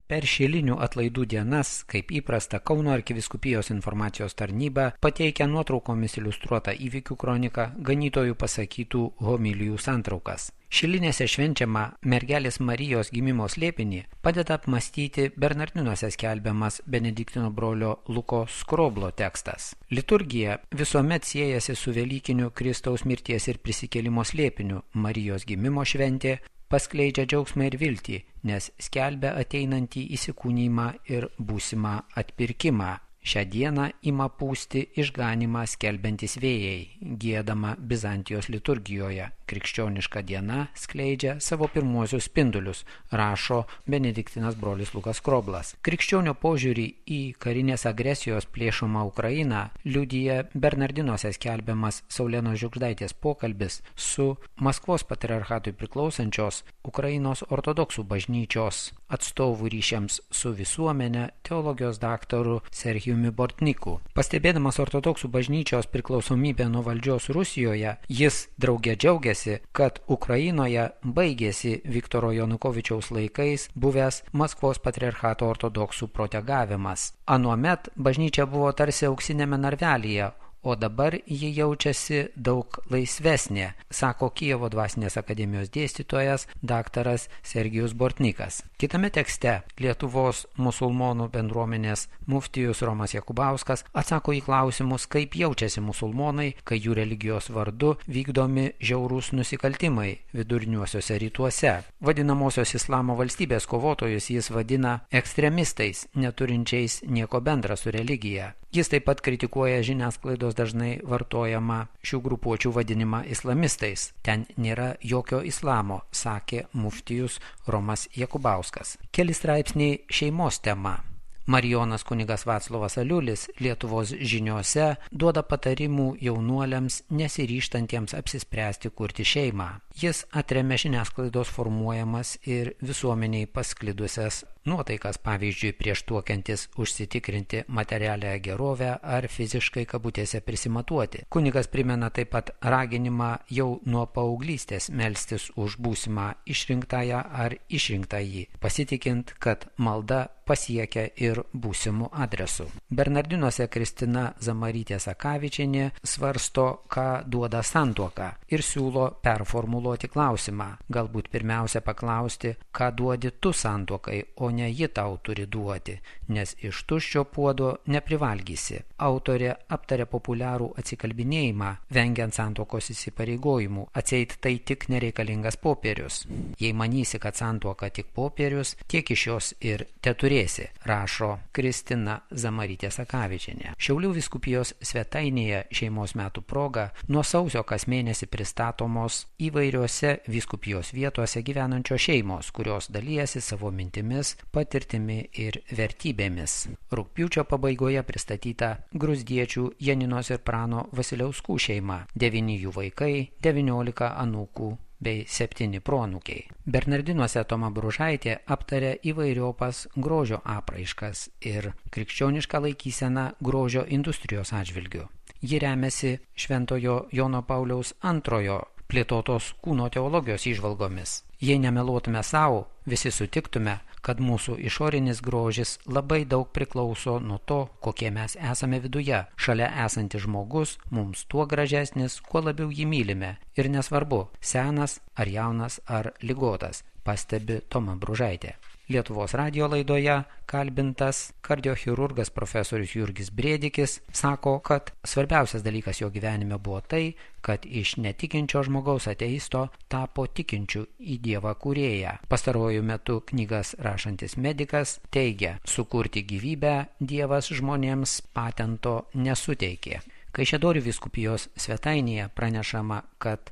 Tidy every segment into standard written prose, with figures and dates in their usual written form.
Per šilinių atlaidų dienas, kaip įprasta, Kauno arkivyskupijos informacijos tarnyba pateikia nuotraukomis iliustruotą įvykių kroniką, ganytojų pasakytų homilijų santraukas. Šilinėse švenčiama mergelės Marijos gimimo slėpinį padeda apmastyti Bernardinuose skelbiamas Benediktino brolio Luko Skroblo tekstas. Liturgija visuomet siejasi su Velykiniu Kristaus mirties ir prisikėlimo slėpiniu. Marijos gimimo šventė paskleidžia džiaugsmą ir viltį, nes skelbia ateinantį įsikūnijimą ir būsimą atpirkimą. Šią dieną ima pūsti išganimą skelbiantis vėjai, giedama Bizantijos liturgijoje. Krikščioniška diena skleidžia savo pirmuosius spindulius, rašo Benediktinas brolis Lukas Skroblas. Krikščionio požiūrį į karinės agresijos plėšomą Ukrainą liudija Bernardinuose skelbiamas Saulenos Žiugždaitės pokalbis su Maskvos patriarchatui priklausančios Ukrainos ortodoksų bažnyčios atstovų ryšiams su visuomenė teologijos daktaru Serhijumi Bortniku. Pastebėdamas ortodoksų bažnyčios priklausomybę nuo valdžios Rusijoje, jis drauge džiaugiasi, kad Ukrainoje baigėsi Viktoro Janukovičiaus laikais buvęs Maskvos patriarchato ortodoksų protegavimas. Anuomet bažnyčia buvo tarsi auksinėme narvelyje, o dabar ji jaučiasi daug laisvesnė, sako Kijevo dvasinės akademijos dėstytojas daktaras Sergijus Bortnikas. Kitame tekste Lietuvos musulmonų bendruomenės muftijus Romas Jakubauskas atsako į klausimus, kaip jaučiasi musulmonai, kai jų religijos vardu vykdomi žiaurūs nusikaltimai viduriniuosiuose rytuose. Vadinamosios islamo valstybės kovotojus jis vadina ekstremistais, neturinčiais nieko bendra su religija. Jis taip pat kritikuoja žiniasklaidos dažnai vartojamą šių grupuočių vadinimą islamistais. Ten nėra jokio islamo, sakė muftijus Romas Jakubauskas. Keli straipsniai šeimos tema. Marijonas kunigas Vaclovas Aliulis Lietuvos žiniose duoda patarimų jaunuoliams nesiryžtantiems apsispręsti kurti šeimą. Jis atremia žiniasklaidos formuojamas ir visuomeniai pasklidusias nuotaikas, pavyzdžiui, prieš tuokiantis užsitikrinti materialią gerovę ar fiziškai kabutėse prisimatuoti. Kunigas primena taip pat raginimą jau nuo paauglystės melstis už būsimą išrinktąją ar išrinktąjį, pasitikint, kad malda pasiekia ir būsimų adresų. Bernardinuose Kristina Zamarytė Sakavičienė svarsto, ką duoda santuoka ir siūlo performuluoti klausimą. Galbūt pirmiausia paklausti, ką duodi tu santuokai, o ne ji tau turi duoti, nes iš tuščio puodo neprivalgysi. Autorė aptarė populiarų atsikalbinėjimą, vengiant santuokos įsipareigojimų, atseit tai tik nereikalingas popierius. Jei manysi, kad santuoka tik popierius, tiek iš jos ir teturėsi, rašo Kristina Zamarytė Sakavičienė. Šiaulių vyskupijos svetainėje šeimos metų proga nuo sausio kas mėnesį pristatomos įvairiose vyskupijos vietose gyvenančios šeimos, kurios dalijasi savo mintimis, patirtimi ir vertybėmis. Rugpjūčio pabaigoje pristatyta Gruzdiečių Janinos ir Prano Vasiliauskų šeima, 9 jų vaikai, 19 anūkų bei 7 proanūkiai. Bernardinuose Toma Bružaitė aptarė įvairiopas grožio apraiškas ir krikščionišką laikyseną grožio industrijos atžvilgiu. Ji remiasi Šventojo Jono Pauliaus II plėtotos kūno teologijos įžvalgomis. Jei nemeluotume savo, visi sutiktume, kad mūsų išorinis grožis labai daug priklauso nuo to, kokie mes esame viduje. Šalia esantis žmogus mums tuo gražesnis, kuo labiau jį mylime. Ir nesvarbu, senas ar jaunas ar ligotas, pastebi Toma Bružaitė. Lietuvos radijo laidoje kalbintas kardiochirurgas profesorius Jurgis Brėdikis sako, kad svarbiausias dalykas jo gyvenime buvo tai, kad iš netikinčio žmogaus ateisto tapo tikinčiu į Dievą kūrėją. Pastaruoju metu knygas rašantis medikas teigia, sukurti gyvybę Dievas žmonėms patento nesuteikė. Kaišiadorių vyskupijos svetainėje pranešama, kad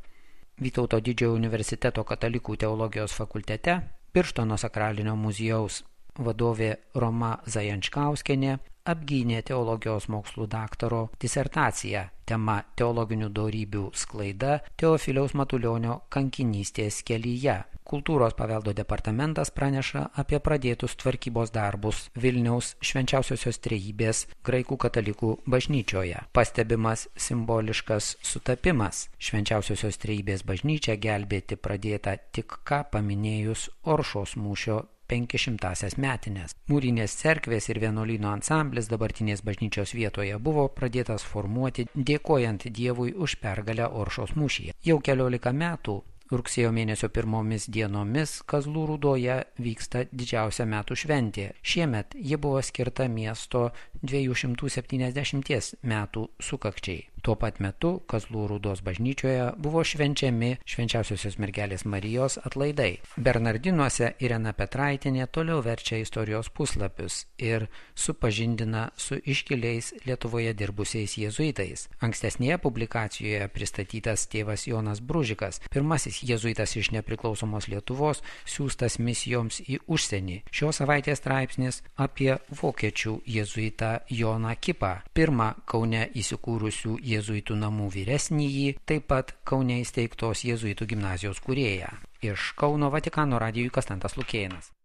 Vytauto Didžiojo universiteto katalikų teologijos fakultete Birštono sakralinio muziejaus vadovė Roma Zajančkauskienė apgynė teologijos mokslų daktaro disertaciją tema teologinių dorybių sklaida Teofiliaus Matulionio kankinystės kelyje. Kultūros paveldo departamentas praneša apie pradėtus tvarkybos darbus Vilniaus Švenčiausiosios Trejybės graikų katalikų bažnyčioje. Pastebimas simboliškas sutapimas. Švenčiausiosios Trejybės bažnyčia gelbėti pradėta tik ką paminėjus Oršos mūšio 500-asias metines. Mūrinės cerkvės ir vienuolyno ansamblis dabartinės bažnyčios vietoje buvo pradėtas formuoti dėkojant Dievui už pergalę Oršos mūšyje. Jau 14 metų rugsėjo mėnesio pirmomis dienomis Kazlų Rūdoje vyksta didžiausia metų šventė. Šiemet ji buvo skirta miesto 270 metų sukakčiai. Tuo pat metu Kazlų Rūdos bažnyčioje buvo švenčiami Švenčiausiosios mergelės Marijos atlaidai. Bernardinuose Irena Petraitinė toliau verčia istorijos puslapius ir supažindina su iškiliais Lietuvoje dirbusiais jėzuitais. Ankstesnėje publikacijoje pristatytas tėvas Jonas Bružikas, pirmasis jėzuitas iš nepriklausomos Lietuvos, siųstas misijoms į užsienį. Šios savaitės straipsnis apie vokiečių jėzuitą Joną Kipą, pirmą Kaune įsikūrusių jėzuitų namų vyresnįjį, taip pat Kaune įsteigtos jėzuitų gimnazijos kūrėją. Iš Kauno Vatikano radijui Konstantas Lukėnas.